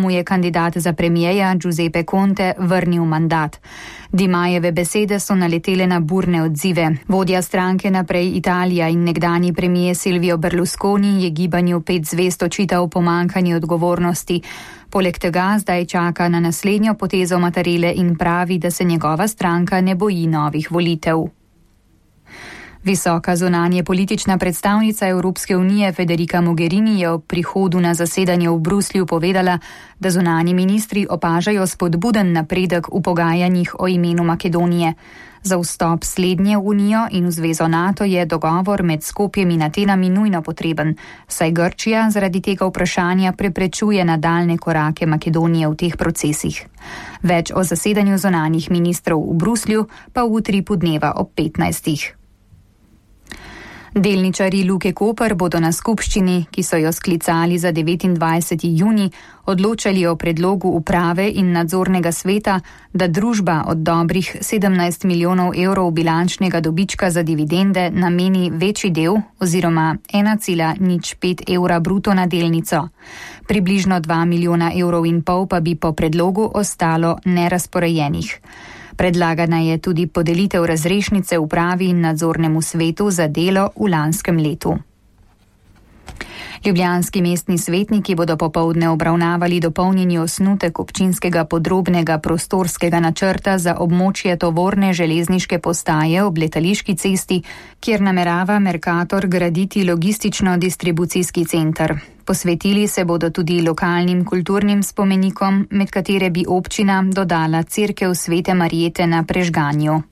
mu je kandidat za premijeja Giuseppe Conte vrnil mandat. Di Majeve besede so naletele na burne odzive. Vodja stranke Naprej Italija in nekdanji premijer Silvio Berlusconi je gibanju 5 zvezd očital pomanjkanje odgovornosti. Poleg tega zdaj čaka na naslednjo potezo Mattarelle in pravi, da se njegova stranka ne boji novih volitev. Visoka zunanje politična predstavnica Evropske unije Federica Mogherini je ob prihodu na zasedanje v Bruslju povedala, da zunanji ministri opažajo spodbuden napredek v pogajanjih o imenu Makedonije. Za vstop slednje v Unijo in v zvezo NATO je dogovor med Skopjem in Atenami nujno potreben, saj Grčija zaradi tega vprašanja preprečuje nadaljne korake Makedonije v teh procesih. Več o zasedanju zunanjih ministrov v Bruslju pa v utripu dneva ob 15. Delničarji Luke Koper bodo na skupščini, ki so jo sklicali za 29. junij, odločali o predlogu uprave in nadzornega sveta, da družba od dobrih 17 milijonov evrov bilančnega dobička za dividende nameni večji del oziroma 1,05 evra bruto na delnico. Približno 2,5 milijona evrov pa bi po predlogu ostalo nerazporejenih. Predlagana je tudi podelitev razrešnice upravi in nadzornemu svetu za delo v lanskem letu. Ljubljanski mestni svetniki bodo popoldne obravnavali dopolnjeni osnutek občinskega podrobnega prostorskega načrta za območje tovorne železniške postaje ob Letališki cesti, kjer namerava Mercator graditi logistično-distribucijski center. Posvetili se bodo tudi lokalnim kulturnim spomenikom, med katere bi občina dodala cerkev Svete Marijete na Prežganju.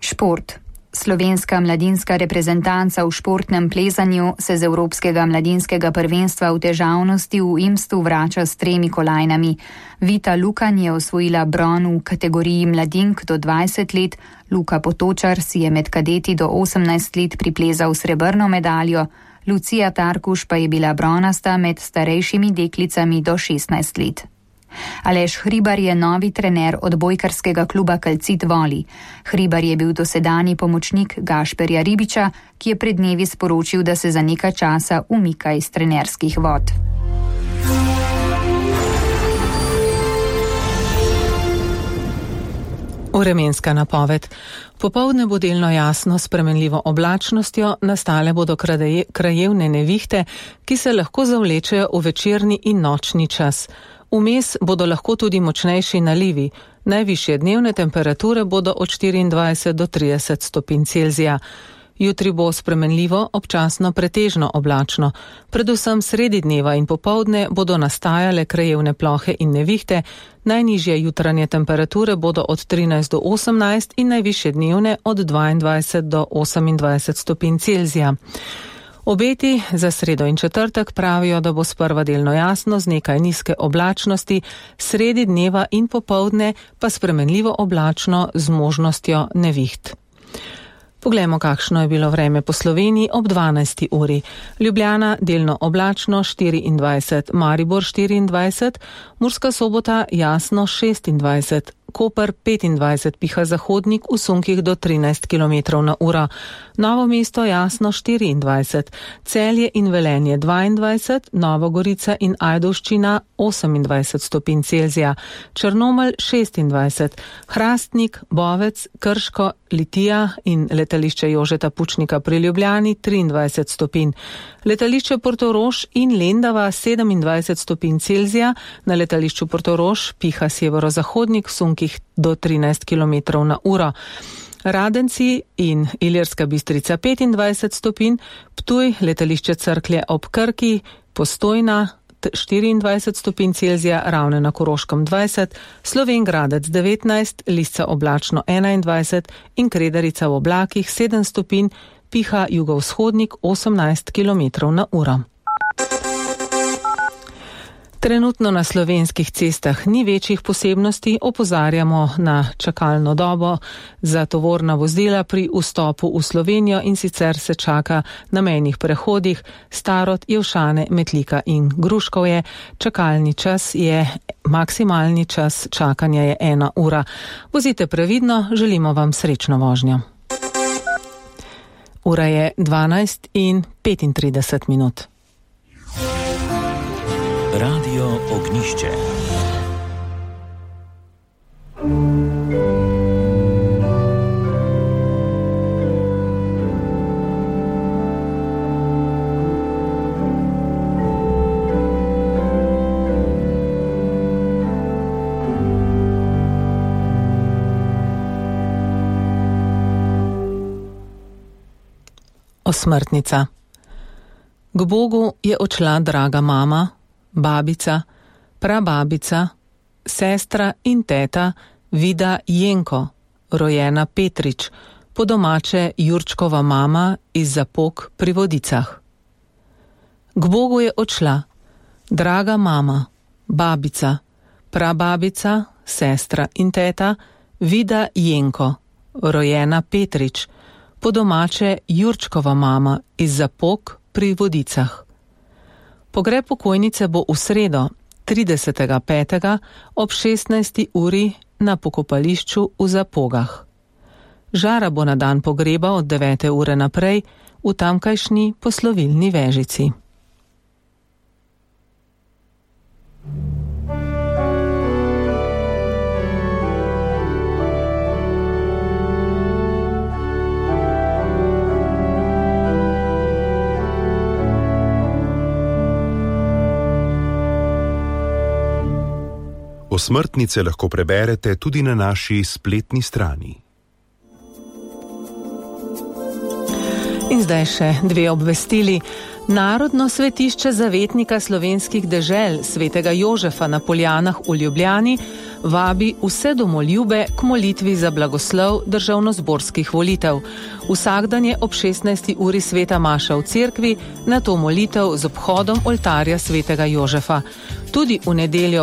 Šport. Slovenska mladinska reprezentanca v športnem plezanju se z Evropskega mladinskega prvenstva v težavnosti v Imstu vrača s 3 kolajnami. Vita Lukan je osvojila bron v kategoriji mladink do 20 let, Luka Potočar si je med kadeti do 18 let priplezal srebrno medaljo, Lucija Tarkuš pa je bila bronasta med starejšimi deklicami do 16 let. Aleš Hribar je novi trener odbojkarskega kluba Kalcit Voli. Hribar je bil dosedanji pomočnik Gašperja Ribiča, ki je pred dnevi sporočil, da se za nekaj časa umika iz trenerskih vod. Vremenska napoved. Popoldne bo delno jasno s spremenljivo oblačnostjo, nastale bodo krajevne nevihte, ki se lahko zavlečejo v večerni in nočni čas. Vmes bodo lahko tudi močnejši nalivi. Najvišje dnevne temperature bodo od 24 do 30 stopinj Celzija. Jutri bo spremenljivo, občasno pretežno oblačno. Predvsem sredi dneva in popoldne bodo nastajale krajevne plohe in nevihte. Najnižje jutranje temperature bodo od 13 do 18 in najvišje dnevne od 22 do 28 stopinj Celzija. Obeti za sredo in četrtek pravijo, da bo sprva delno jasno z nekaj nizke oblačnosti, sredi dneva in popoldne pa spremenljivo oblačno z možnostjo neviht. Poglejmo, kakšno je bilo vreme po Sloveniji ob 12. uri. Ljubljana delno oblačno 24, Maribor 24, Murska Sobota jasno 26, Koper 25, piha zahodnik v sunkih do 13 km/h. Novo mesto jasno 24, Celje in Velenje 22, Nova Gorica in Ajdovščina 28 stopinj Celzija, Črnomelj 26, Hrastnik, Bovec, Krško, Litija in letališče Jožeta Pučnika pri Ljubljani 23 stopinj. Letališče Portorož in Lendava 27 stopinj Celzija, na letališču Portorož piha severozahodnik v sunkih do 13 km/h. Radenci in Ilirska Bistrica 25 stopinj, Ptuj, letališče Cerklje ob Krki, Postojna 24 stopinj Celzija, Ravne na Koroškem 20, Slovenj Gradec 19, Lisca oblačno 21 in Kredarica v oblakih 7 stopinj, piha jugovzhodnik 18 km/h. Trenutno na slovenskih cestah ni večjih posebnosti, opozarjamo na čakalno dobo za tovorna vozila pri vstopu v Slovenijo in sicer se čaka na mejnih prehodih Starod, Jelšane, Metlika in Gruškovje. Čakalni čas je, maksimalni čas čakanja je 1 ura. Vozite previdno, želimo vam srečno vožnjo. Ura je 12:35. Radio Radio Ognišče. Osmrtnica. K Bogu je odšla draga mama, babica, prababica, sestra in teta Vida Jenko, rojena Petrič, po domače Jurčkova mama iz Zapok pri Vodicah. K Bogu je odšla draga mama, babica, prababica, sestra in teta Vida Jenko, rojena Petrič, po domače Jurčkova mama iz Zapok pri Vodicah. Pogreb pokojnice bo v sredo, 30.5. ob 16. uri na pokopališču v Zapogah. Žara bo na dan pogreba od 9. ure naprej v tamkajšnji poslovilni vežici. Osmrtnice lahko preberete tudi na naši spletni strani. In zdaj še dve obvestili. Narodno svetišče zavetnika slovenskih dežel svetega Jožefa na Poljanah v Ljubljani vabi vse domoljube k molitvi za blagoslov državnozborskih volitev. Vsak dan je ob 16. uri sveta maša v cerkvi, nato molitev z obhodom oltarja svetega Jožefa. Tudi v nedeljo